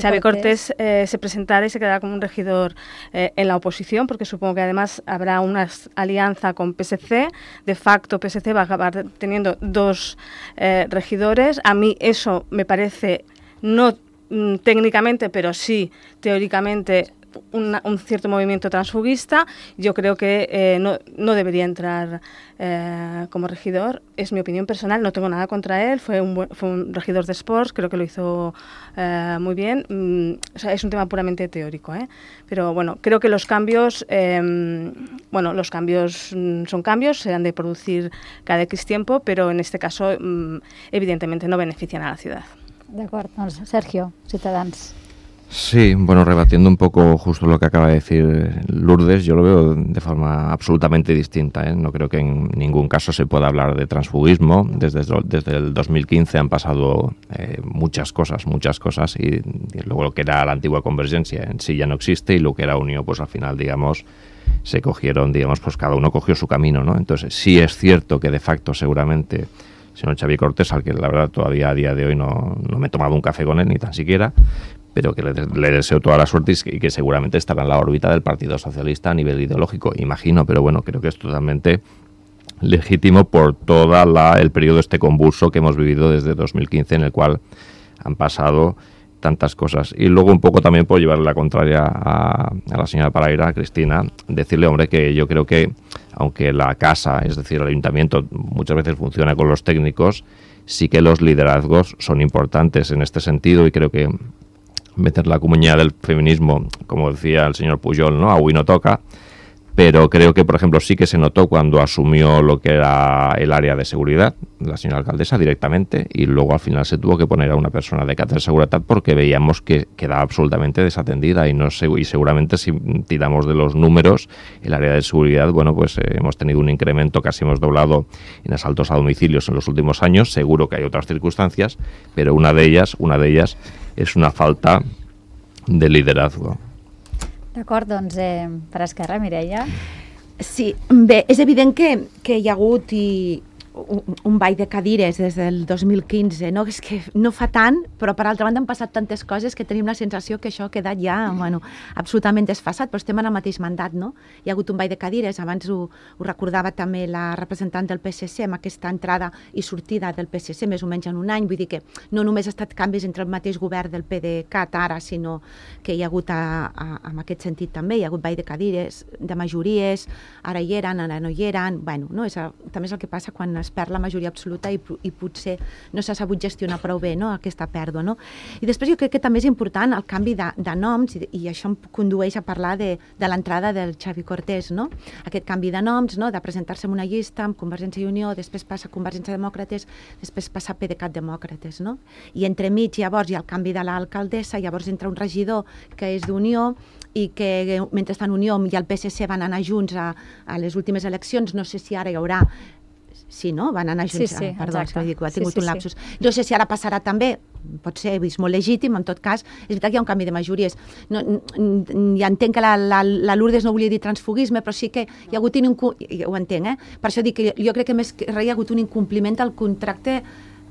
Xavi Cortés se presentara y se quedara como un regidor en la oposición, porque supongo que además habrá una alianza con PSC. De facto, PSC va a acabar teniendo 2 regidores. A mí eso me parece, no técnicamente, pero sí teóricamente, un cierto movimiento transfuguista. Yo creo que no debería entrar como regidor. Es mi opinión personal, no tengo nada contra él. Fue un regidor de Sports, creo que lo hizo muy bien. O sea, es un tema puramente teórico, pero bueno, creo que los cambios son cambios, se han de producir cada X tiempo, pero en este caso evidentemente no benefician a la ciudad. D'acord, doncs Sergio, Ciutadans. Sí, bueno, rebatiendo un poco justo lo que acaba de decir Lourdes, yo lo veo de forma absolutamente distinta, No creo que en ningún caso se pueda hablar de transfugismo. Desde el 2015 han pasado muchas cosas, y luego lo que era la antigua Convergencia en sí ya no existe, y lo que era Unió, pues al final, se cogieron, pues cada uno cogió su camino, ¿no? Entonces sí es cierto que de facto seguramente el señor Xavi Cortés, al que la verdad todavía a día de hoy no me he tomado un café con él, ni tan siquiera, pero que le deseo toda la suerte y que seguramente estará en la órbita del Partido Socialista a nivel ideológico, imagino, pero bueno, creo que es totalmente legítimo por todo el periodo este convulso que hemos vivido desde 2015, en el cual han pasado tantas cosas. Y luego un poco también por llevarle la contraria a la señora Paraire, a Cristina, decirle, hombre, que yo creo que aunque la casa, es decir, el ayuntamiento, muchas veces funciona con los técnicos, sí que los liderazgos son importantes en este sentido, y creo que meter la comunidad del feminismo, como decía el señor Pujol, ¿no? Avui no toca, pero creo que, por ejemplo, sí que se notó cuando asumió lo que era el área de seguridad, la señora alcaldesa directamente, y luego al final se tuvo que poner a una persona de cátedra de seguridad porque veíamos que quedaba absolutamente desatendida, y seguramente si tiramos de los números, el área de seguridad, bueno, pues hemos tenido un incremento, casi hemos doblado en asaltos a domicilios en los últimos años. Seguro que hay otras circunstancias, pero una de ellas és una falta de liderazgo. D'acord, doncs per Esquerra, Mireia. Sí, bé, és evident que hi ha hagut un ball de cadires des del 2015, no? És que no fa tant, però per altra banda han passat tantes coses que tenim la sensació que això ha quedat ja, bueno, absolutament desfasat, però estem en el mateix mandat, no? Hi ha hagut un ball de cadires, abans ho recordava també la representant del PSC, amb aquesta entrada i sortida del PSC, més o menys en un any, vull dir que no només ha estat canvis entre el mateix govern del PDeCAT ara, sinó que hi ha hagut en aquest sentit també, hi ha hagut ball de cadires, de majories, ara hi eren, ara no hi eren, bueno, no? També és el que passa quan es perd la majoria absoluta i potser no s'ha sabut gestionar prou bé, no? Aquesta pèrdua, no? I després jo crec que també és important el canvi de noms, i això em condueix a parlar de l'entrada del Xavi Cortés, no? Aquest canvi de noms, no? De presentar-se en una llista amb Convergència i Unió, després passa a Convergència Demòcrates, després passa a PDeCAT Demòcrates, no? I entremig llavors hi ha el canvi de l'alcaldessa, llavors entra un regidor que és d'Unió, i que mentre estan Unió i el PSC van anar junts a les últimes eleccions, no sé si ara hi haurà. Sí, no? Van anar junts. Sí, perdó, exacte. ha tingut un lapsus. No sé si ara passarà també, pot ser vist molt legítim, en tot cas, és veritat que hi ha un canvi de majories. Ja entenc que la Lourdes no volia dir transfugisme, però sí que hi ha hagut ho entenc, per això dic que jo crec que més que hi ha hagut un incompliment del contracte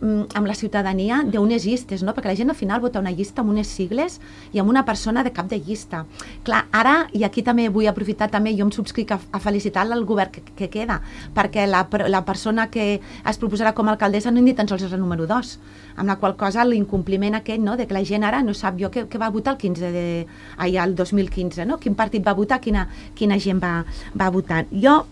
amb la ciutadania d'unes llistes, no? Perquè la gent al final vota una llista amb unes sigles i amb una persona de cap de llista. Clar, ara, i aquí també vull aprofitar també, jo em subscric a felicitar el govern que queda, perquè la persona que es proposarà com a alcaldessa no ni tan sols és el número 2, amb la qual cosa l'incompliment aquest, no?, de que la gent ara no sap jo què va votar el 2015, no? Quin partit va votar, quina gent va votar. Jo,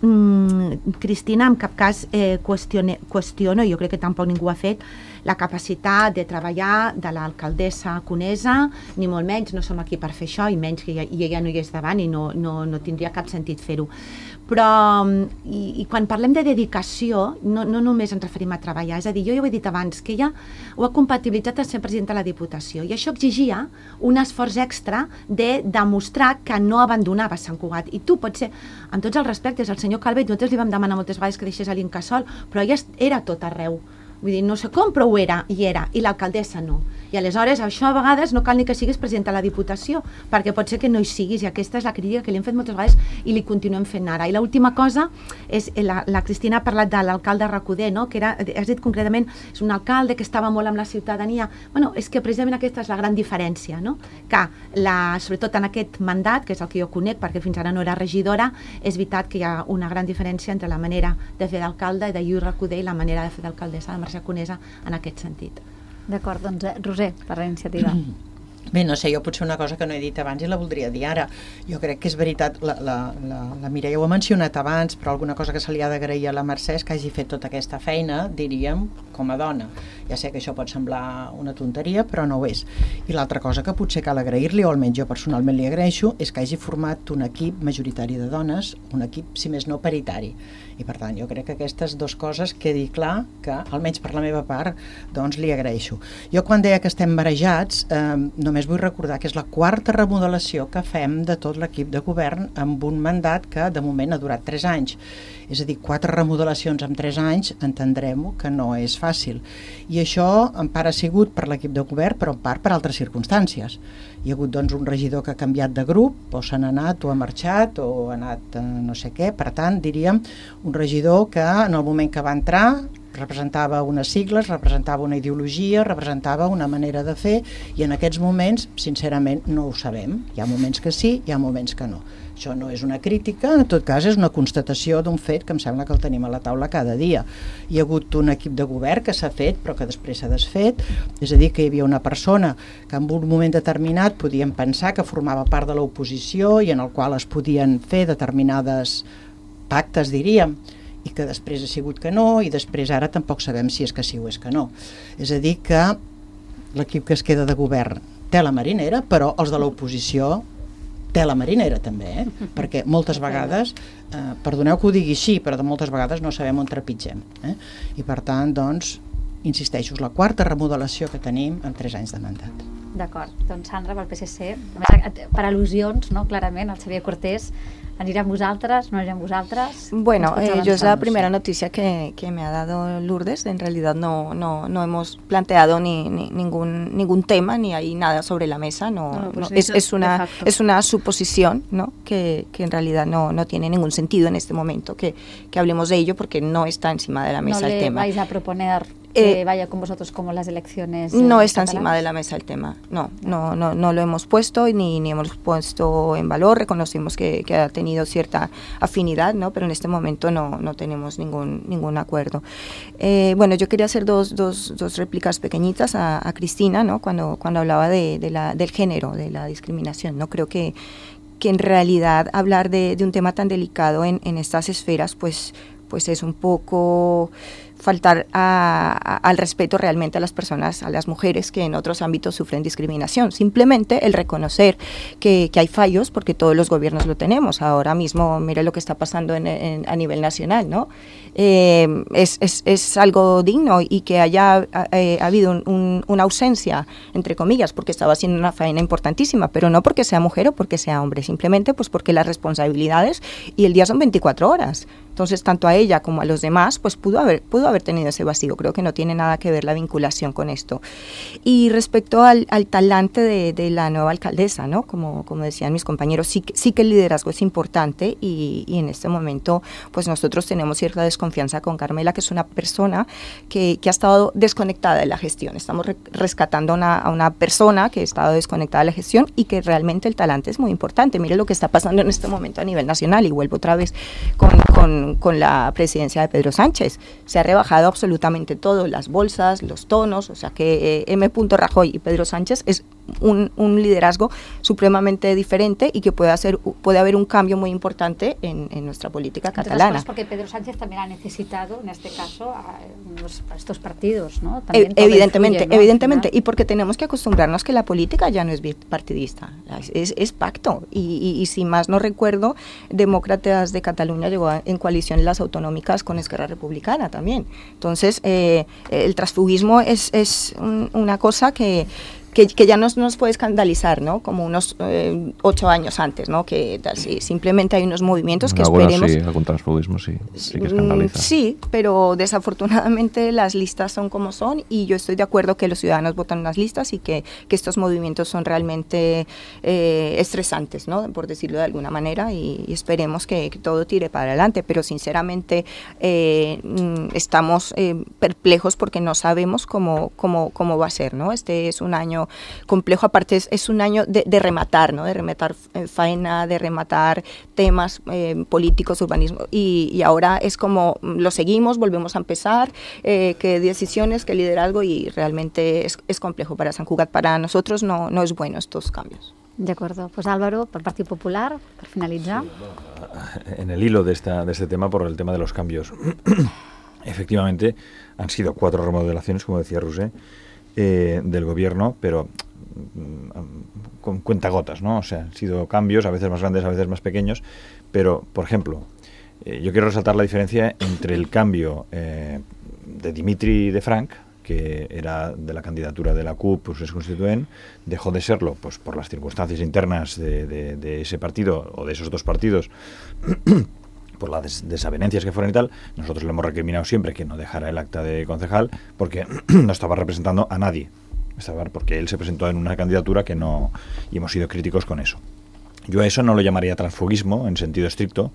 Cristina, en cap cas qüestiono, jo crec que tampoc ningú ha fet, la capacitat de treballar de l'alcaldessa Conesa, ni molt menys, no som aquí per fer això, i menys que ella no hi és davant i no tindria cap sentit fer-ho. Però, i quan parlem de dedicació, no només ens referim a treballar, és a dir, jo ja ho he dit abans, que ella ho ha compatibilitzat a ser presidenta de la Diputació, i això exigia un esforç extra de demostrar que no abandonava Sant Cugat. I tu, potser, amb tots els respectes, el senyor Calvet, nosaltres li vam demanar moltes vegades que deixés a l'Incasòl, però ella era tot arreu. Vull dir, no sé com, però ho era, i l'alcaldessa no. I aleshores, això a vegades no cal ni que siguis president de la Diputació, perquè pot ser que no hi siguis, i aquesta és la crítica que li hem fet moltes vegades i li continuem fent ara. I l'última cosa és, la Cristina ha parlat de l'alcalde Recoder, no? Que has dit concretament, és un alcalde que estava molt amb la ciutadania. Bueno, és que precisament aquesta és la gran diferència, no? Que, sobretot en aquest mandat, que és el que jo conec, perquè fins ara no era regidora, és veritat que hi ha una gran diferència entre la manera de fer d'alcalde de Lluís Recoder i la manera de fer d'alcaldessa de Mercè Conesa en aquest sentit. D'acord, doncs Roser, per la iniciativa. Bé, no sé, jo potser una cosa que no he dit abans i la voldria dir ara. Jo crec que és veritat, la Mireia ho ha mencionat abans, però alguna cosa que se li ha d'agrair a la Mercè és que hagi fet tota aquesta feina, diríem, com a dona. Ja sé que això pot semblar una tonteria, però no ho és. I l'altra cosa que potser cal agrair-li, o almenys jo personalment li agraeixo, és que hagi format un equip majoritari de dones, un equip, si més no, paritari. I per tant, jo crec que aquestes dues coses quedi clar que, almenys per la meva part, doncs li agraeixo. Jo quan deia que estem marejats, només vull recordar que és la quarta remodelació que fem de tot l'equip de govern amb un mandat que de moment ha durat 3 anys. És a dir, 4 remodelacions en 3 anys, entendrem-ho que no és fàcil. I això en part ha sigut per l'equip de govern, però en part per altres circumstàncies. Hi ha hagut doncs, un regidor que ha canviat de grup, o se n'ha anat, o ha marxat, o ha anat no sé què. Per tant, diríem, un regidor que en el moment que va entrar representava unes sigles, representava una ideologia, representava una manera de fer, i en aquests moments, sincerament, no ho sabem. Hi ha moments que sí, hi ha moments que no. Això no és una crítica, en tot cas és una constatació d'un fet que em sembla que el tenim a la taula cada dia. Hi ha hagut un equip de govern que s'ha fet però que després s'ha desfet, és a dir, que hi havia una persona que en un moment determinat podíem pensar que formava part de l'oposició i en el qual es podien fer determinades pactes, diríem, i que després ha sigut que no, i després ara tampoc sabem si és que sí o és que no. És a dir, que l'equip que es queda de govern té la marinera, però els de l'oposició té la marinera també, perquè moltes vegades, perdoneu que ho digui així, però de moltes vegades no sabem on trepitgem. I per tant, doncs, insisteixo, és la quarta remodelació que tenim en 3 anys de mandat. D'acord, doncs Sandra, pel PSC, per al·lusions, no? Clarament, el Xavier Cortés anirà amb vosaltres, no anirà amb vosaltres. Bueno, yo es la primera noticia que me ha dado Lourdes. En realidad no hemos planteado ningún tema, ni hay nada sobre la mesa. Es una suposición, ¿no? que en realidad no tiene ningún sentido en este momento que hablemos de ello, porque no está encima de la mesa el tema. ¿No le vais a proponer que vaya con vosotros como las elecciones? No está encima de la mesa el tema, no lo hemos puesto ni hemos puesto en valor. Reconocemos que ha tenido cierta afinidad, ¿no? Pero en este momento no tenemos ningún acuerdo. Bueno, yo quería hacer dos réplicas pequeñitas a Cristina, ¿no? Cuando hablaba del género, de la discriminación, ¿no? Creo que en realidad hablar de un tema tan delicado en estas esferas, pues es un poco faltar al respeto realmente a las personas, a las mujeres que en otros ámbitos sufren discriminación. Simplemente el reconocer que hay fallos, porque todos los gobiernos lo tenemos. Ahora mismo, mire lo que está pasando a nivel nacional, ¿no? Es algo digno, y que haya habido una ausencia, entre comillas, porque estaba haciendo una faena importantísima, pero no porque sea mujer o porque sea hombre, simplemente pues porque las responsabilidades y el día son 24 horas. Entonces, tanto a ella como a los demás, pues pudo haber tenido ese vacío. Creo que no tiene nada que ver la vinculación con esto. Y respecto al talante de la nueva alcaldesa, ¿no? Como decían mis compañeros, sí que el liderazgo es importante, y en este momento, pues nosotros tenemos cierta desconfianza con Carmela, que es una persona que ha estado desconectada de la gestión. Estamos rescatando a una persona que ha estado desconectada de la gestión, y que realmente el talante es muy importante. Mire lo que está pasando en este momento a nivel nacional, y vuelvo otra vez con la presidencia de Pedro Sánchez. Se ha rebajado absolutamente todo, las bolsas, los tonos, o sea que M. Rajoy y Pedro Sánchez es un liderazgo supremamente diferente, y que puede haber un cambio muy importante en nuestra política catalana. Cosas porque Pedro Sánchez también ha necesitado, en este caso, a estos partidos, ¿no? Evidentemente, influye, ¿no? Evidentemente, y porque tenemos que acostumbrarnos que la política ya no es bipartidista, es pacto, y si más no recuerdo, Demócratas de Cataluña llegó en coalición en las autonómicas con Esquerra Republicana también. Entonces, el transfugismo es una cosa que ya nos puede escandalizar, ¿no? Como unos 8 años antes, ¿no? Que simplemente hay unos movimientos que esperemos... Sí, algún transfugismo sí que escandaliza. Sí, pero desafortunadamente las listas son como son, y yo estoy de acuerdo que los ciudadanos votan unas listas, y que estos movimientos son realmente estresantes, ¿no? Por decirlo de alguna manera, y esperemos que todo tire para adelante, pero sinceramente estamos perplejos porque no sabemos cómo va a ser, ¿no? Este es un año complejo, aparte es un año de rematar, ¿no? De rematar faena, de rematar temas políticos, urbanismo, y ahora es como lo seguimos, volvemos a empezar, qué decisiones, qué liderazgo, y realmente es complejo para Sant Cugat. Para nosotros no es bueno estos cambios. De acuerdo. Pues Álvaro, por Partido Popular, para finalizar. Sí, en el hilo de este tema, por el tema de los cambios. Efectivamente, han sido 4 remodelaciones, como decía Roser, del gobierno, pero con cuentagotas, ¿no? O sea, han sido cambios, a veces más grandes, a veces más pequeños, pero, por ejemplo, yo quiero resaltar la diferencia entre el cambio de Dimitri de Frank, que era de la candidatura de la CUP, pues es constituent, dejó de serlo pues por las circunstancias internas de ese partido, o de esos dos partidos, por las desavenencias que fueron y tal. Nosotros le hemos recriminado siempre que no dejara el acta de concejal, porque no estaba representando a nadie, porque él se presentó en una candidatura que no, y hemos sido críticos con eso. Yo a eso no lo llamaría transfugismo en sentido estricto,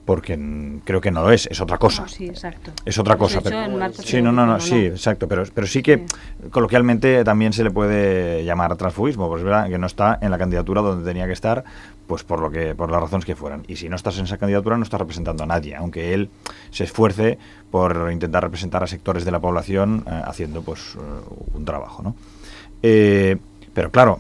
porque creo que no lo es otra cosa. Sí, exacto. Es otra cosa. Sí, sí, exacto, pero sí que coloquialmente también se le puede llamar transfugismo, pues es verdad que no está en la candidatura donde tenía que estar, pues por las razones que fueran. Y si no estás en esa candidatura no estás representando a nadie, aunque él se esfuerce por intentar representar a sectores de la población haciendo pues un trabajo, ¿no? Pero claro,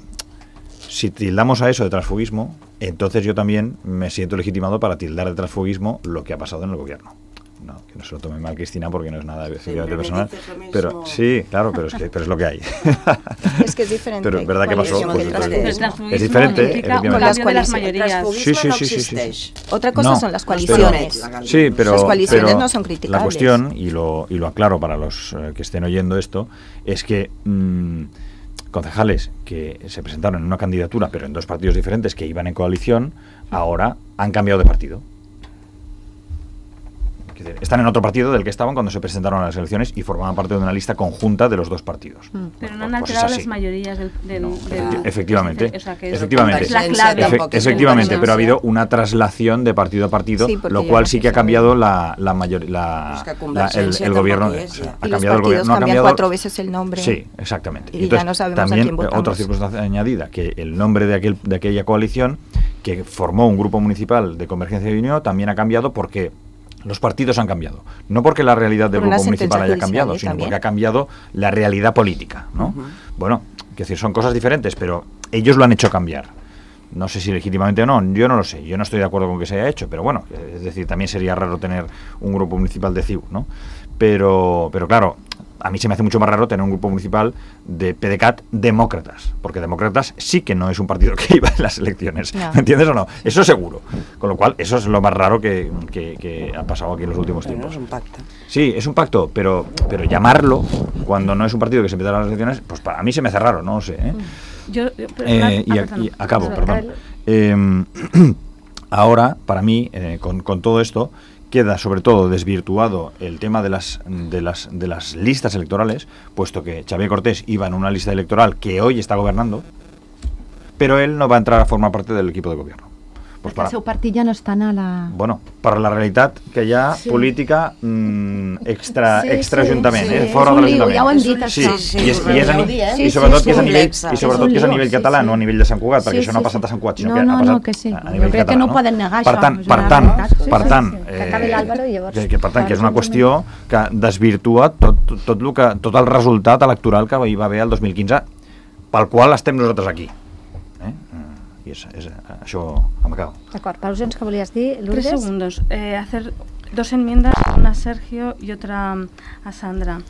si tildamos a eso de transfugismo, entonces yo también me siento legitimado para tildar de transfugismo lo que ha pasado en el gobierno. No, que no se lo tome mal Cristina porque no es nada efectivamente personal. Pero sí, claro, pero es lo que hay. Es que es diferente. Pero es verdad que pasó. Es diferente. Con las mayorías. Sí. Otra cosa son las coaliciones. Sí, pero las coaliciones no son criticables. La cuestión, y lo aclaro para los que estén oyendo esto, es que concejales que se presentaron en una candidatura, pero en dos partidos diferentes que iban en coalición, ahora han cambiado de partido. Están en otro partido del que estaban cuando se presentaron a las elecciones y formaban parte de una lista conjunta de los dos partidos. Pero no han alterado las mayorías del efectivamente. O sea, que efectivamente. Es la clave. Efectivamente, pero ha habido una traslación de partido a partido, lo cual sí que ha cambiado el gobierno. Ha cambiado el gobierno. Cambian 4 veces el nombre. Sí, exactamente. Y entonces, ya no sabemos también a quién votamos. Otra circunstancia añadida, que el nombre de aquella coalición que formó un grupo municipal de Convergencia y Unió también ha cambiado porque los partidos han cambiado. No porque la realidad del grupo municipal haya cambiado, sino porque ha cambiado la realidad política, ¿no? Bueno, es decir, son cosas diferentes, pero ellos lo han hecho cambiar. No sé si legítimamente o no, yo no lo sé. Yo no estoy de acuerdo con que se haya hecho, pero bueno, es decir, también sería raro tener un grupo municipal de CIU, ¿no? Pero claro, a mí se me hace mucho más raro tener un grupo municipal de PDeCAT demócratas, porque demócratas sí que no es un partido que iba en las elecciones, no. ¿Me entiendes o no? Eso seguro. Con lo cual, eso es lo más raro que ha pasado aquí en los últimos tiempos. Es un pacto. Sí, es un pacto, pero llamarlo cuando no es un partido que se empieza a las elecciones, pues para mí se me hace raro, no lo sé, ¿eh? Y acabo, perdón. Ahora, para mí, con todo esto, queda sobre todo desvirtuado el tema de las listas electorales, puesto que Xavier Cortés iba en una lista electoral que hoy está gobernando, pero él no va a entrar a formar parte del equip de gobierno. Pues el seu partit ja no estan a la... Bueno, per la realitat que hi ha política extra-ajuntament, fora de l'Ajuntament. Ja ho hem dit, això. I sobretot que és a nivell català, no a nivell de Sant Cugat, perquè això no ha passat a Sant Cugat, sinó que ha passat a nivell català. Crec que no poden negar això. Per tant, que és una qüestió que desvirtua tot el resultat electoral que hi va haver el 2015, pel qual estem nosaltres aquí. I això m'acabo. D'acord, per·al·lusions que volies dir, Lourdes? 3 segundos. Hacer 2 enmiendas, una a Sergio y otra a Sandra.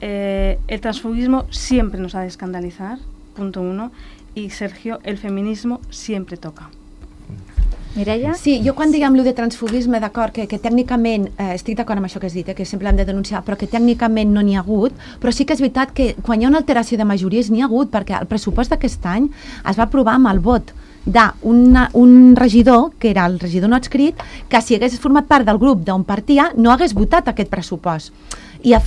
El transfugismo siempre nos ha de escandalizar, punto 1, y Sergio, el feminismo siempre toca. Mireia? Sí, jo quan diguem allò de transfugisme, d'acord, que tècnicament, estic d'acord amb això que has dit, que sempre hem de denunciar, però que tècnicament no n'hi ha hagut, però sí que és veritat que quan hi ha una alteració de majories n'hi ha hagut, perquè el pressupost d'aquest any es va aprovar amb el vot d'un regidor, que era el regidor no adscrit, que si hagués format part del grup d'on partia no hagués votat aquest pressupost. I ha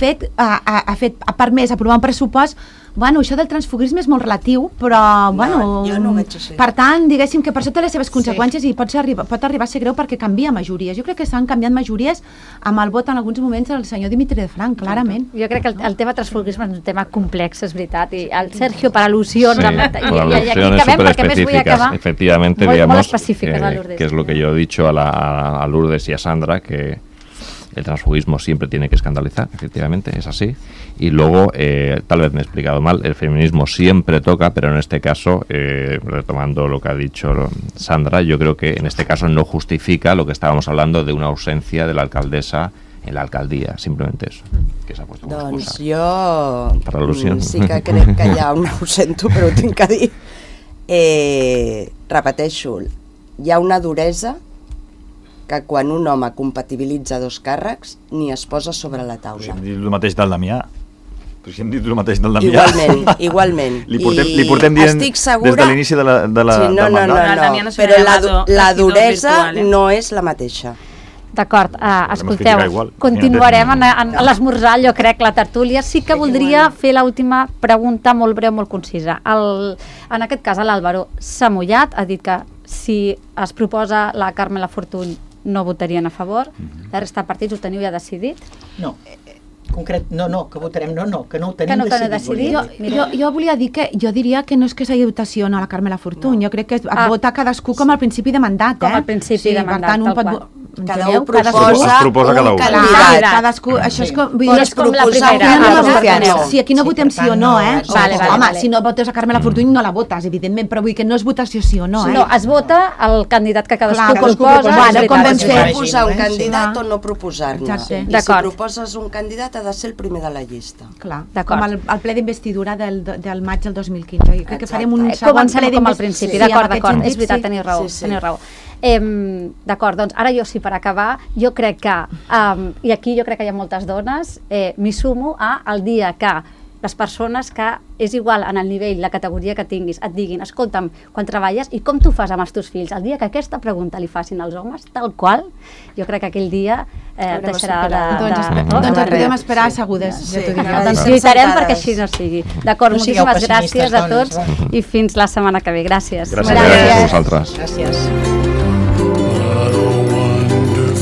permès aprovar un pressupost. Bueno, això del transfugisme és molt relatiu, però, bueno, jo no ho veig així. Per tant, diguéssim que per això té les seves conseqüències i pot arribar a ser greu perquè canvia majories. Jo crec que s'han canviat majories amb el vot en alguns moments del senyor Dimitri de Frank, clarament. Jo crec que el tema transfugisme és un tema complex, és veritat, i el Sergio, per al·lusions, por alusiones súper específicas, efectivamente, digamos, que es lo que yo he dicho a Lourdes y a Sandra, que el transfugismo siempre tiene que escandalizar, efectivamente, es así. Y luego, tal vez me he explicado mal, el feminismo siempre toca, pero en este caso, retomando lo que ha dicho Sandra, yo creo que en este caso no justifica lo que estábamos hablando de una ausencia de la alcaldesa en la alcaldia, simplemente eso, que s'ha puesto una excusa. Doncs jo al·lusions. Sí que crec que ho sento, però ho tinc que dir. Repeteixo, hi ha una duresa que quan un home compatibilitza 2 càrrecs ni es posa sobre la taula. Però si hem dit el mateix del Damià. Igualment. Li portem dient des de l'inici de la No, però la duresa no és la mateixa. D'acord, escolteu, continuarem a l'esmorzar, jo crec, la tertúlia. Sí que voldria fer l'última pregunta molt breu, molt concisa. En aquest cas, l'Àlvaro s'ha mullat, ha dit que si es proposa la Carme Lafortuny no votarien a favor. La resta de partits ho teniu ja decidit? No. Concret, no, que votarem que no ho tenim decidit. Jo volia dir que jo diria que no és que s'hagi votació a la Carmela Fortuny, jo crec que vota cadascú com al principi de mandat, Com al principi de mandat, tal qual. Cada un proposa un candidat. Cadascú, això és com... No és com la primera. Sí, aquí no votem sí o no, eh? Vale. Si no votes a Carmela Fortuny no la votes, evidentment, però vull que no és votació sí o no, eh? No, es vota el candidat que cadascú proposa. Com vam fer. Proposar un candidat o no proposar-ne. I si D'acord. proposes un candidat ha de ser el primer de la llista. Clar, D'acord. com el ple d'investidura del maig del 2015. Jo crec que farem un segon Comencem ple com al d'investidura. principi, d'acord, és veritat, teniu raó. Teniu raó. D'acord, doncs ara jo sí, per acabar, jo crec que, i aquí jo crec que hi ha moltes dones, m'hi sumo al dia que les persones que és igual en el nivell, la categoria que tinguis, et diguin, escolta'm, quan treballes i com tu fas amb els teus fills, el dia que aquesta pregunta li facin als homes, tal qual, jo crec que aquell dia deixarà de... Doncs podem esperar assegudes. Doncs lluitarem perquè així no sigui. D'acord, moltíssimes gràcies a tots i fins la setmana que ve. Gràcies. Gràcies a vosaltres. Gràcies. I don't wonder